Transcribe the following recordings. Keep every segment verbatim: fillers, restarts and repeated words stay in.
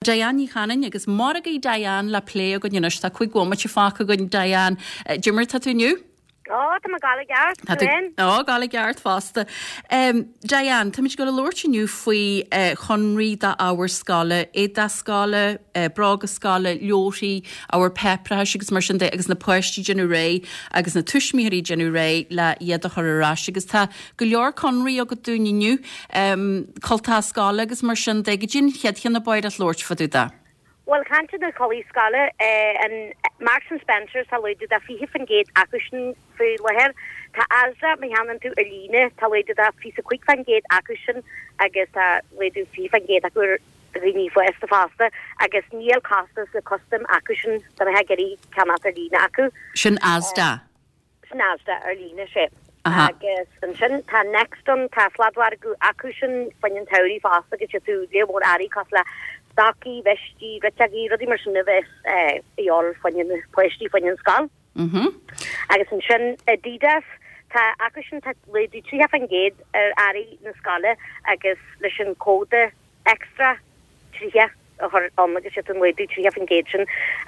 Diane Ní Chanainn agus margaí Diane le plé againn anois tá cúig bhomaite fágtha againn Diane. Cad é mar tá tú inniu? Ó tá mé i gceart Ó go ceart fosta. Um, Diane, Tá muid ag labhairt inniu faoi uh, chonraí d'ábhar scoile, éadaí scoile, uh, bróga scoile, leabharthaí, ábhar páipéarachais agus mar sin de agus na páistí ag déanamh réidh agus na tuismitheoirí ag déanamh réidh le iad a chur ar ais agus tá go leor conraí agat dúinn inniu um, cultacha scoile agus mar sin de cad é an chéad cheann a b'fhéidir labhairt fá dtaobh de. Well caint na culaith scoile an Marks and Spencer tá laghdú de fiche faoin gcéad acu sin faoi láthair Tá Asda má cheannaíonn tú ar líne tá laghdú de fiche cúig faoin gcéad acu sin agus tá laghdú fiche faoin gcéad acu dhaoine fásta fosta agus níl costas le custom acu sin do na hegerí ceannach ar líne acu. Sin Asda. Sin Asda ar líne sé. Agus ansin tá Next an tá sladmhargadh acu sin faoin an tsamhradh fosta agus sé tú lémór airí cos le stocaí, veistí, riteagaí, rudaí mar sin a bheith íáil faoin páistí faoin scoil. Mm -hmm. Agus ansin Adidas tá acu sin tá laghdú tríocha faoin gcéad ar earraí na scoile agus leis an cód extra tríocha a chur ann agus sé an laghdú tríocha faoin gcéad sin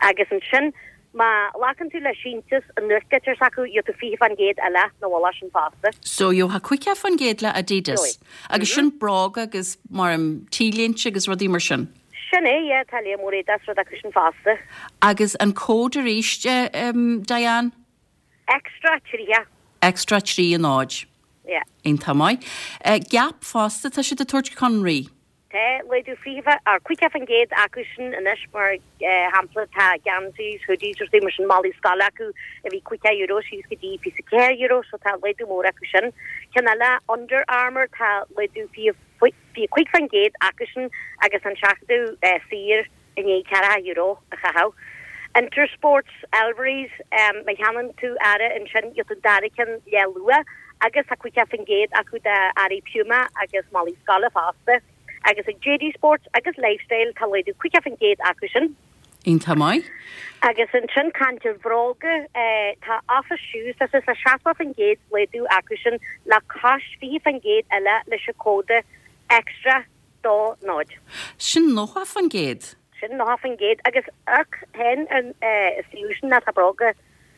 agus ansin má ghlacann tú le síntiús an nuachtlitir s'acu gheobhaidh tú fiche faoin gcéad eile na bhla sin fosta. So gheofá caoga faoin gcéad le Adidas. Agus sin bróga agus mar an t-léinte agus rudaí mar sin. Sin é tá le mór das rud acu sin fosta. Agus an cód arís um, Diane? Extra tríocha. Extra trí an náid. Yeah. Iontach maith. Uh, Gap fosta tá siad ag tabhairt conraí. Tá laghdú fiche ar caoga faoin gcéad acu sin anois mar shampla tá geansaí hoodies rudaí mar sin málaí scoile acu a bhí caoga euro síos go dtí fiche ceathair euro so tá laghdú mór acu sin. Ceann eile Under Armour tá laghdú fiche cúig faoin gcéad acu sin agus an seachadadh saor i ndiaidh ceathracha euro a chaitheamh. Intersports Elverys um, má cheannaíonn tú earra ansin gheobhaidh tú dara ceann le lua agus tá caoga faoin gcéad acu d'earraí Puma agus málaí scoile fosta. agus ag JD Sports agus Lifestyle tá laghdú caoga faoin gcéad acu sin. Iontach maith? Agus ansin caint ar bhróga eh, tá Office Shoes tá sé seachtó faoin gcéad laghdú acu sin le cois fiche faoin gcéad eile leis an cód extra dó náid. Sin nócha faoin gcéad. Sin nócha faoin gcéad agus ach hen an sin na tá bróga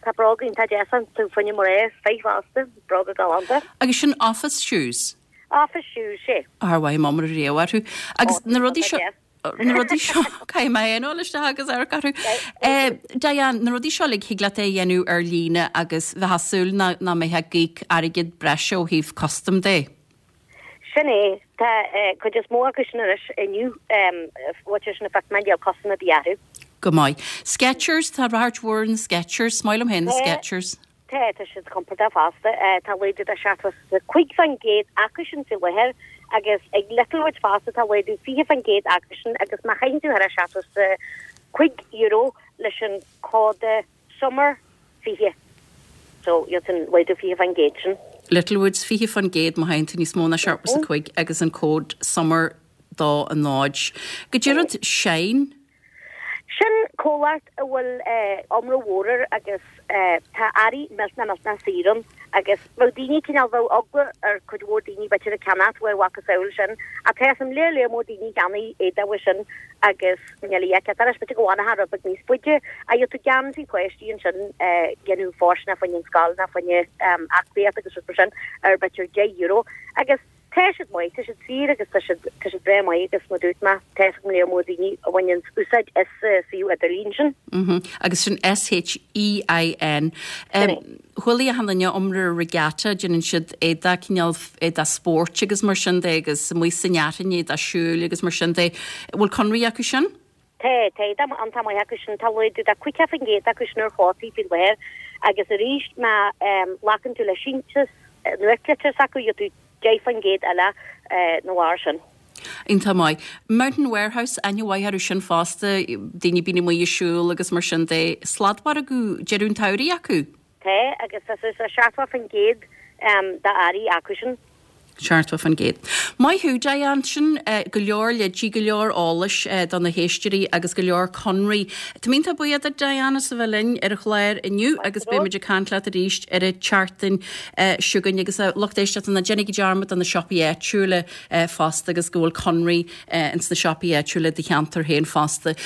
tá bróga tá desan tú funne mar é feifásta bróga galánta. Agus sin Office Shoes. Office Shoes sé. Ar mhaith mám réhharthú. Agus na rudaí seo na rudaí seo cai mé leis agus ar carú. Diane na rudaí seo le thig leat é dhéanamh ar líne agus bheith súil na ná mbeidh ag íoc airgead breise ó thaobh custom de. Sin é tá chuid is mó acu sin anois inniu sin na fe díol cosna bíarú. Go maith. Skechers tá ráirt mhór na Skechers, Smáil hen na Skechers. Tá tá siad compordach fosta tá laghdú de seachtó cúig faoin gcéad acu sin faoi láthair agus ag Littlewoods fosta tá laghdú fiche faoin gcéad acu sin agus má chaitheann tú thar seachtó cúig euro leis an cód summer fiche. So gheobhaidh an laghdú fiche faoin gcéad sin. Littlewoods fiche faoin gcéad má thagann tú níos mó ná seachtó cúig agus an cód summer dó a náid. Go deireadh Shein? Sin comhlacht a bhfuil iomrá mór air agus tá earraí millteanach millteanach saor ann agus bheadh daoine cineál bheadh eagla ar cuid mhór daoine b'fhéidir a ceannacht uaidh mhacasamhail sin a tá an léir léir mór daoine cheannaigh éadaí uaidh sin agus níl a fhios agat b'fhéidir go bhfanfaidh rud beag níos faide a gheobhaidh tú geansaí páistí ansin déanamh fóirsteanach faoin an scoil ná faoin aclaíocht agus rud mar sin ar b'fhéidir deich euro agus tá siad maith tá siad saor agus tá siad tá siad breá maith agus mar dúirt mé tá an léir mór daoine a bhaineann úsáid as suíomh idirlín sin. Mm -hmm. Agus sin S-H-E-I-N. Chuala achan duine iomrá ar Regatta déanann siad éadaí cineál éadaí spóirt agus mar sin de agus amuigh san fhearthainn éadaí siúil agus mar sin de. Bhfuil conraí acu sin? Tá tá an tá maith acu sin tá laghdú de caoga faoin gcéad acu sin ar chótaí faoi láthair agus arís má ghlacann tú le síntiús nuachtlitir s'acu gheobhaidh tú deich faoin gcéad eile nó mar sin. Iontach maith. Mountain Warehouse aithne mhaith orthu sin fosta, daoine bíonn amuigh ag siúl agus mar sin de sladmhargadh deireadh an tsamhraidh acu. Tá agus tá sé seachtó faoin gcéad d'earraí acu sin. Seachtó faoin gcéad. Maith thú Diane sin go leor leidí go leor eolais do na héisteoirí agus go leor conraí. Tá mé iontach buíoch duit Diane as a bheith linn ar an chlár inniu agus beimid ag caint leat arís ar an tseachtain seo chugainn agus lucht éisteachta ná déanaigí dearmad de na siopaí áitiúla fosta agus go bhfuil conraí ins na siopaí áitiúla do cheantar féin fosta.